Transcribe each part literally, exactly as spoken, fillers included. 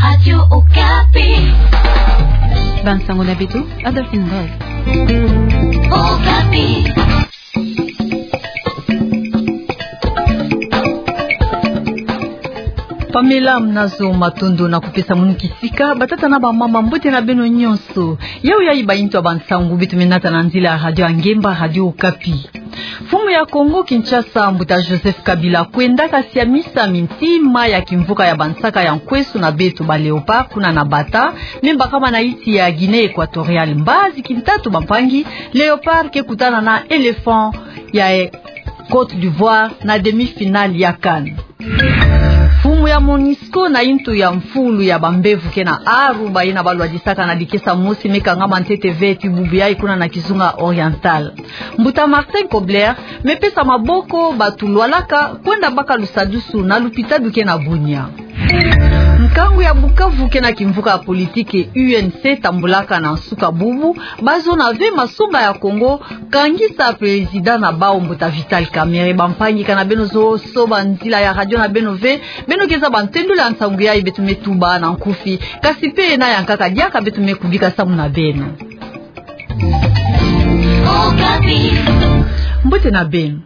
Radio Okapi. Bansango na beto, Adolphine Ngoy. Okapi. Pamela Mnazo, matondo na kupesa munu kisika. Batata na bamama, mbote na beno nyonso. Yau yayi baintu ya bansango beto me nata na nzila ya radio ya ngemba, Radio Okapi. Mfumu ya Kongo Kinshasa, mbuta Joseph Kabila, kwendaka siamisa mintima ya kimvuka ya bansaka ya nkwesu na beto ba Léopard kuna na Bata, me bakama na insi ya Guinée Équatoriale. Mbazi kintatu bampangi, Léopard ke kutana na Éléphant ya, eh, Côte d'Ivoire na demi-finale ya CAN. Mfumu ya MONUSCO na intu ya mfulu ya bambevo ke na aru, bayina balwadisaka na dikesa mosi me kangama ntete ve ti bubu yayi kuna na kizunga Oriental. Mbuta Martin Kobler me pesa maboko bato lwalaka kwenda baka lusadusu na lupitalu ke na Bunia. Nkangu ya Bukavu ke na kimvuka ya politiki U N C tambulaka na nsuka bubu, bazo na ve masonga ya Kongo kangisa président na bau, mbuta Vital Kamerhe. Bampangi, kana beno zosoba nzila ya radio na beno ve, beno ke zaba ntendolo ya nsangu yayi beto me tuba na nkufi, kasi pe na ya nkaka diaka beto me kubika samu na beno. Mbote na beno.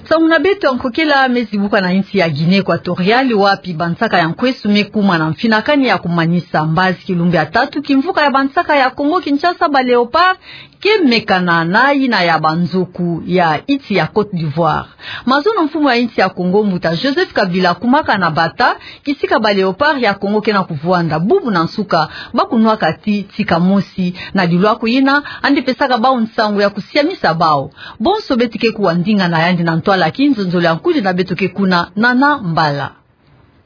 Nsangu na beto ya nkokela me zibuka na insi ya Guinée Équatoriale, wapi bansaka ya nkwesu me kuma na mfinakani ya kumanisa. Mbazi kilumbu ya tatu, kimvuka ya bansaka ya Kongo Kinshasa ba Léopard ke mekana na yina ya banzoku ya insi ya Côte d'Ivoire. Mazono mfumu ya insi ya Kongo, mbuta Joseph Kabila, kumaka na Bata, kisika ba Léopard ya Kongo ke na kuvwanda. Bubu na nsuka, bakunwaka ti tika mosi. Na dilwaku yina, yandi pesaka bau nsangu ya kusiamisa bau. Bonso beto ke kuwa ndinga na yandi na ntwala ya kinzonzolo ya nkudi na beto ke kuna, Nana Mbala.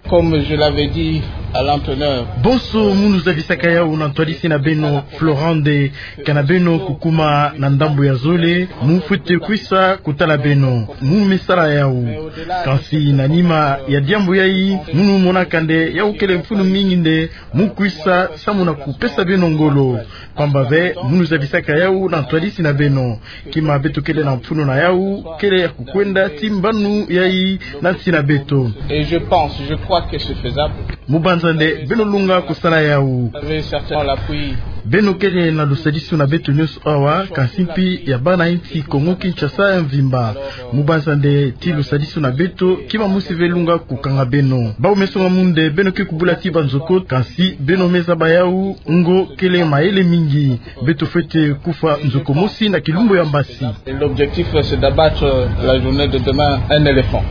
Comme je l'avais dit à l'entonnoir. Bonso munu zabisaka yau na ntwadisi na beno, Florent, nde kana beno kukuma na ndambu ya zole, mu fwete kwisa kutala beno. Mu me sala yau. Kansi na nima ya diambu yayi, munu monaka nde yau kele mfunu mingi nde mu kwisa samu na kupesa beno ngolo. Pamba ve, munu zabisaka yau na ntwadisi na beno. Kima beto kele na mfunu na yau, kele ya kukwenda ti mbanu yayi na nsi na beto. Et je pense, je crois que c'est faisable. Mu banza nde beno lunga kusala yau. Vous avez certainement l'appui. Beno kele na lusadisu na beto nyonso awa, kansi mpi ya bana insi Kongo Kinshasa ya mvimba. Mu banza nde ti lusadisu na beto, kima mosi ve lunga kukanga beno. Bau me songa mu nde beno ke kubula ti banzoko, kansi beno me zaba yau ngo kele mayele mingi. Beto fwete kufwa nzoko mosi na kilumbu ya mbasi. Et l'objectif, c'est d'abattre la journée de demain un éléphant.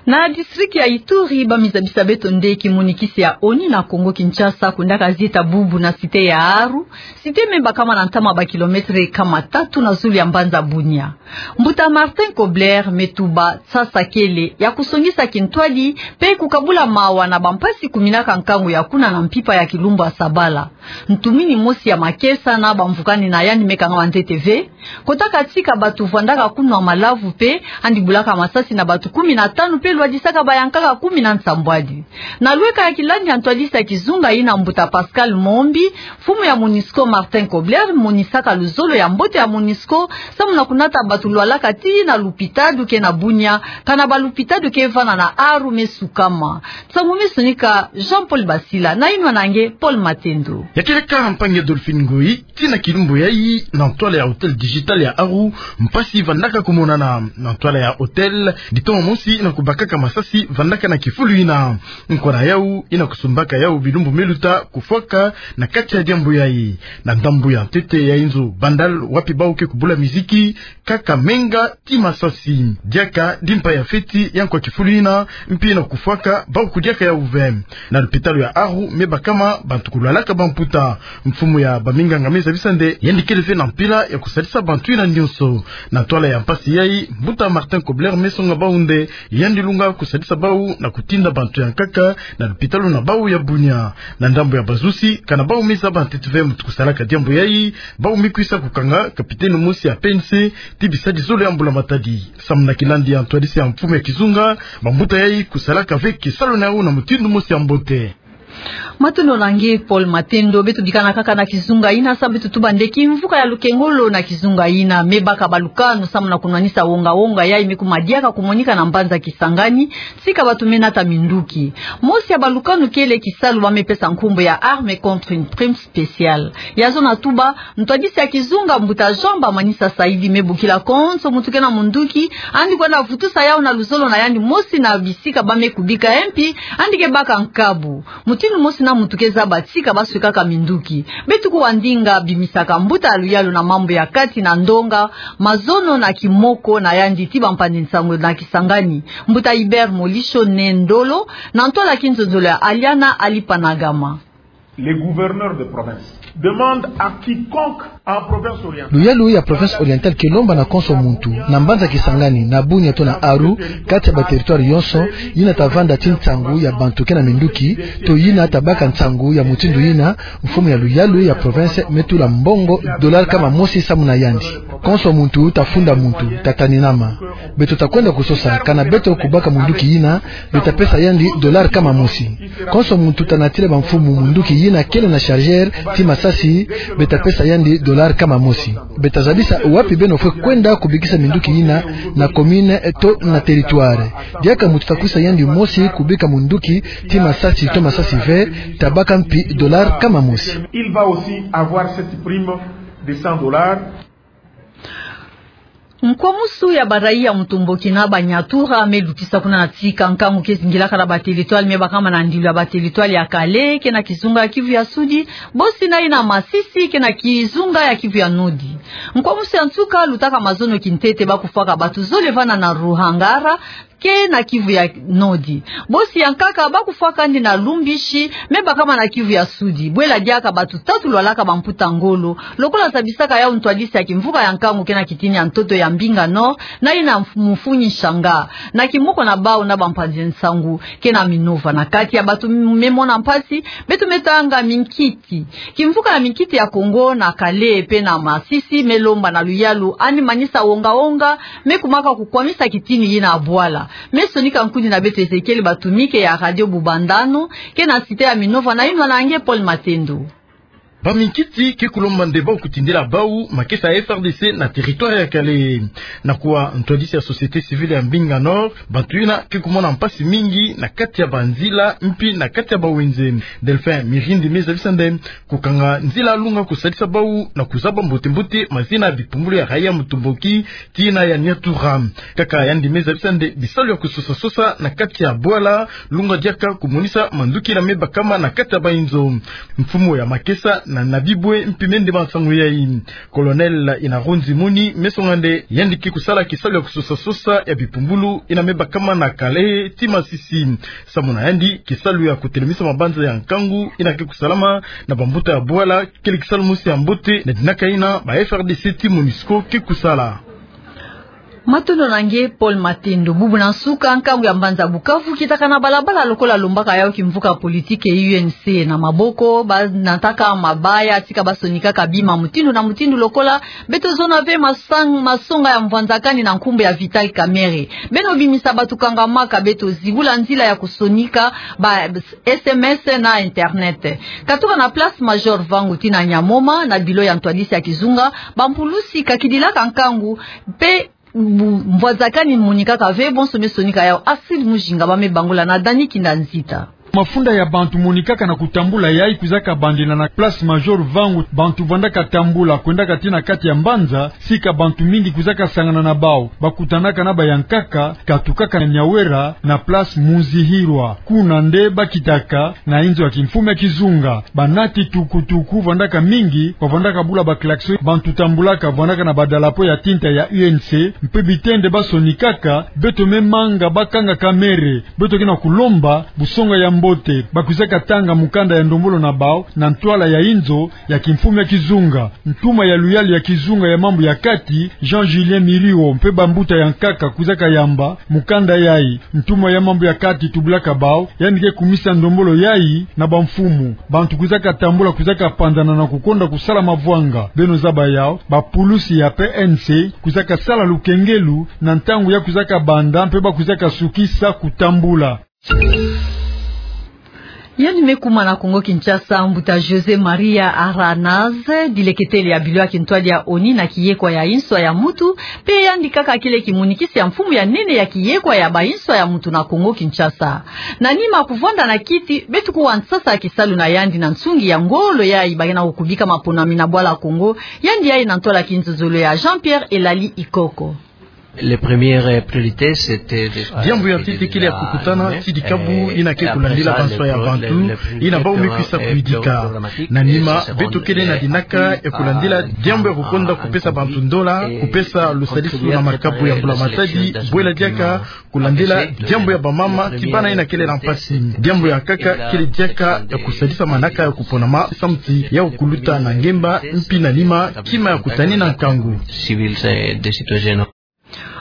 Na district ya Ituri, ba me zabisa beto nde kimonikisi ya ONU na Kongo Kinshasa kwendaka zieta bubu na cité ya Aru, cité me bakama na ntama ba kilomètre kama tatu na zulu ya mbanza Bunia. Mbuta Martin Kobler me tuba sasa kele ya kusongisa kintwadi, pe kukabula mawa na bampasi kuminaka nkangu ya kuna na mpimpa ya kilumbu ya sabala. Ntumini mosi ya makesa na bamvukani na yandi me kangama ntete ve, kotaka tika bato vwandaka kunwa malavu pe, yandi bulaka masasi na bato kumi na tanu pe lwadisaka bayankaka kumi na nsambwadi. Na lweka ya kilandi ya ntwadisi ya kizunga yina, mbuta Pascal Mombi, mfumu ya MONUSCO Martin Kobler monisaka luzolo ya mbote ya MONUSCO samu na kunata bato lwalaka ti na lupitalu ke na Bunia, kana ba lupitalu ke vanda na Aru me sukama. Nsangu me sonika Jean-Paul Basila, na yinwa na nge Paul Matendo. Ya kele kaka mpangi Adolphine Ngoyi, ti na kilumbu yayi, na ntwala ya hôtel Digital ya Aru, mpasi vandaka kumonana. Na ntwala ya hôtel, ditoma mosi na kubakaka masasi vandaka na kifulu yina. Nkona yau yina kusumbaka yau bilumbu me luta kufwaka na kati ya diambu yayi. Na ndambu ya ntete ya inzo Bandal, wapi bau ke kubula miziki, kaka menga ti masasi. Diaka dimpa ya feti ya nkwa kifulu yina, mpi na kufwaka bau kudiaka yau ve. Na lupitalu ya Aru me bakama bantu kulwalaka bamputa. Mfumu ya baminganga me zabisa nde yandi kele ve na mpila ya kusalisa bantu yina nyonso. Na ntwala ya mpasi yayi, mbuta Martin Kobler me songa bau nde yandi lunga kusalisa bau na kutinda bantu ya nkaka na lupitalu na bau ya Bunia. Na ndambu ya bazusi, kana bau me zaba ntete ve muntu kusalaka diambu yayi, bau me kwisa kukanga capitaine mosi ya P N C ti bisadi zole ya mbula matadi. Samu na kilandi ya ntwadisi ya mfumu ya kizunga, bambuta yayi kusalaka ve kisalu na yau na mutindu mosi ya mbote. Matondo na nge Paul Matendo. Beto bikana kaka na kizunga ina, samu beto tuba nde kimvuka ya lukengolo na kizunga ina me baka balukanu samu na kunwanisa wonga-wonga yai me kumadiaka kumonika na mbanza Kisangani, tika bato me nata minduki. Mosi ya balukanu kele kisalu ba me pesa nkumbu ya arme contre une prime spéciale. Ya zona tuba, ntwadisi ya kizunga mbuta Jean Bamanisa Saidi me bokila konso muntu kena munduki, andi kwenda vutusa yau na luzolo na yandi mosi na bisika ba me kubika, e mpi andi ke baka nkabu. Mutindu mosi na muntu ke zaba tika ba swekaka minduki. Beto kuwa ndinga bimisaka mbuta ya luyalu na mambu ya kati na ndonga, mazono na kimoko na yandi ti bampanzi nsangu na Kisangani, mbuta Hubert Molisho Ne Ndolo, na ntwala ya kinzonzolo ya Aliana Alipanagama. Les gouverneurs de province demandent à quiconque en province orientale. Luyalu ya province orientale ke lomba na konso muntu, na mbanza Kisangani, na Bunia to na Aru, kati ya ba territoire yonso, yina ta vanda ti nsangu ya bantu kena minduki, to yina ta baka nsangu ya mutindu yina, mfumu ya luyalu ya province me tula mbongo dollar kama mosi samu na yandi. Konso muntu ta funda muntu, ta taninama. Beto ta kwenda kusosa, kana beto kubaka munduki yina, beta pesa yandi dollar kama mosi. Konso muntu ta natila bamfumu munduki yina kele na chargeur ti masasi, beta pesa yandi dollar kama mosi. Beta zabisa wapi beno fwe kwenda kubikisa minduki yina, na commune to na territoire. Diaka muntu ta kwisa yandi mosi kubika munduki ti masasi to masasi ve, ta baka mpi dollar kama mosi. Il va aussi avoir cette prime de cent dollars. Nkwamusu ya baraia mutomboki na banyatura me lutisa kuna na tika nkangu ke zingilaka na ba territoire me bakama na ndilu ya ba territoire ya Kalehe, kena kizunga ya Kivu ya Sudi, bosi na yina Masisi, kena kizunga ya Kivu ya Nodi. Nkwamusu ya nsuka lutaka mazono kintete ba kufwaka batu zole vana na Ruhangara, kena Kivu ya Nodi. Bosi ya nkaka ba kufwakandi na Lumbishi, me bakama na Kivu ya Sudi. Bwela diaka batu tatu lwalaka bamputa ngolo, lokola zabisaka yau ntwadisi ya kimvuka ya nkangu kena kitini ya ntoto ya Mbinga Nord, na yina mf-, mfumu Nshanga, na kimoko na bau na bampanzi nsangu kena Minova. Na kati ya batu me mona mpasi, beto me tanga minkiti. Kimvuka ya minkiti ya Kongo na Kalehe pe na Masisi me lomba na luyalu andi manisa wonga-wonga me kumaka kukwamisa kitini yina bwala. Me sonika nkuni na beto Ezekiel Batumike ya Radio Bubandano, kena cité ya Minova, na yinwa na nge Paul Matendo. Baminkiti ke kulomba nde bau kutindila bau makesa ya F R D C na territoire ya Kalehe. Na kuwa ntwadisi ya société civile ya Mbinga Nord, bantu yina ke kumona mpasi mingi na kati ya banzila, mpi na kati ya bawenze. Delphin Mirindi me zabisa nde kukanga nzila lunga kusalisa bau na kuzaba mbote-mbote mazina ya bipumbulu ya raia mutomboki ti yina ya nyatura. Kaka yandi me zabisa nde bisalu ya kusosa-sosa na kati ya bwala lunga diaka kumonisa manduki yina me bakama na kati ya bainzo. Mfumu ya makesa na Nabibwe mpi me ndemba nsangu yai. Colonel Inaronzi Muni me songa nde yandi ke kusala kisalu ya kusosa-sosa ya bipumbulu yina me bakama na Kalehe ti Masisi. Samu na yandi, kisalu ya kutelemisa mabanza ya nkangu yina ke kusalama na bambuta ya bwala kele kisalu mosi ya mbote, na dinaka yina ba F R D C ti MONUSCO ke kusala. Matondo na nge Paul Matendo. Bubu na nsuka, nkangu ya mbanza Bukavu kitaka na balabala lokola lombaka yau kimvuka politique U N C. Na maboko ba nataka mabaya tika ba sonikaka bima mutindu na mutindu lokola beto zona ve masang-, masonga ya mvwanzakani na nkumbu ya Vital Kamerhe. Beno bimisa batu kangamaka beto zibula nzila ya kusonika ba S M S na internet. Katuka na Place Major Vangu tii na Nyamoma, na bilo ya ntwadisi ya kizunga, bampulusi kakidilaka nkangu, mpe bu-, mvwazakani monikaka ve, bonso me sonika yau. Asil Mujinga ba me bangula na Dani Kinda Nzita. Mafunda ya bantu monikaka na kutambula yai kwizaka bandila na Place Major Vangu, bantu vandaka tambula, kwendaka tii na kati ya mbanza, sika bantu mingi kwizaka sangana na bau, bakutanaka na bayankaka, katukaka na Nyawera, na Place Muzihirwa. Kuna nde bakitaka na inzo ya kimfumu ya kizunga. Banati tukutuku vandaka mingi, bavandaka bula ba klaxon, bantu tambulaka vandaka na badalapo ya tinta ya U N C, mpe bitende ba sonikaka, beto me manga bakanga kamere, beto ke na kulomba busonga ya mbote, bakwizaka tanga mukanda ya ndombolo na bau, na ntwala ya inzo ya kimfumu ya kizunga. Ntuma ya luyalu ya kizunga ya mambu ya kati, Jean Julien Miriwo, mpe bambuta ya nkaka kwizaka yamba mukanda yai. Ntuma ya mambu ya kati tubulaka bau, yandi ke kumisa ndombolo yai na bamfumu. Bantu kwizaka tambula, kwizaka panzana na kukonda kusala mavwanga. Beno zaba yau, bapulusi ya P N C kwizaka sala lukengelu na ntangu ya kwizaka banda, mpe bakwizaka sukisa kutambula. Yandi me kuma na Kongo-Kinshasa, mbuta José Maria Aranaz, dileketele ya bilo ya kintwadi ya ONI na kiyekwa ya inswa ya mutu, mpe yandi kaka kele kimonikisi ya mfumu ya nene ya kiyekwa ya bainswa ya mutu na Kongo-Kinshasa. Na nima kuvwanda na kiti, beto kuwa nsasa ya kisalu na yandi na nsungi ya ngolo yayi ba ke na kukubika maponami na bwala Kongo, yandi yayi na ntwala kinzozolo ya Jean-Pierre Elali Ikoko. Les premières, euh, priorités, c'était de... Diambu ya ntete kele ya kukutana, tidi kabu, ina ke kulandila banswa ya bantu, ina bau me kwisa kuyidika. Na nima, beto kele na dinaka ya kulandila diambu ya kukonda kupesa bantu ndola, kupesa lusadisu na makabu ya mbulamatadi, bwela diaka, kulandila diambu ya bamama, kibana ina kele na mpasi. Diambu ya nkaka, kele diaka ya kusadisa manaka ya kuponama, samu ti ya kuluta na ngemba, mpi na nima, kima ya kutanina nkangu. Civils, euh, des citoyens.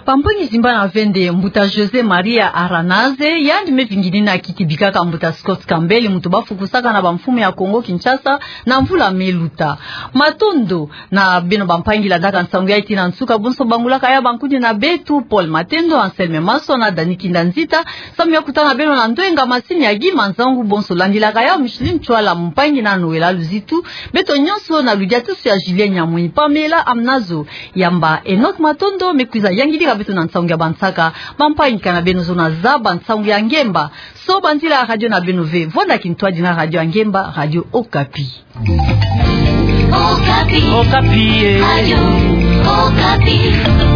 Bampangi zimbana vende, mbuta José Maria Aranaz, yandi me vingini na kiti bikaka mbuta Scott Campbell, muntu bafukusaka na bamfumu ya Kongo-Kinshasa, na mvula me luta. Matondo na beno bampangi landaka nsangu yayi tii na nsuka, bonso bangulaka ya bankuni na beto, Paul Matendo, Anselme Maswa na Dani Kinda Nzita, samu ya kutana na beno na ndwenga masini ya Guy Manzangu, bonso landilaka ya Micheline Ntwala, mpangi na Noëlla Luzitu, beto nyonso na ludiatusu ya Julien Nyamwini. Pamela Amunazo Yamba, Enoch Matondo me kwiza yangidika beto na nsangu ya bansaka, bampangi, kana beno zono zaba nsangu ya ngemba. So banzila radio na beno ve, vwanda kintwadi na radio ya ngemba, Radio Okapi. Okapi. Okapi, eh. Radio Okapi.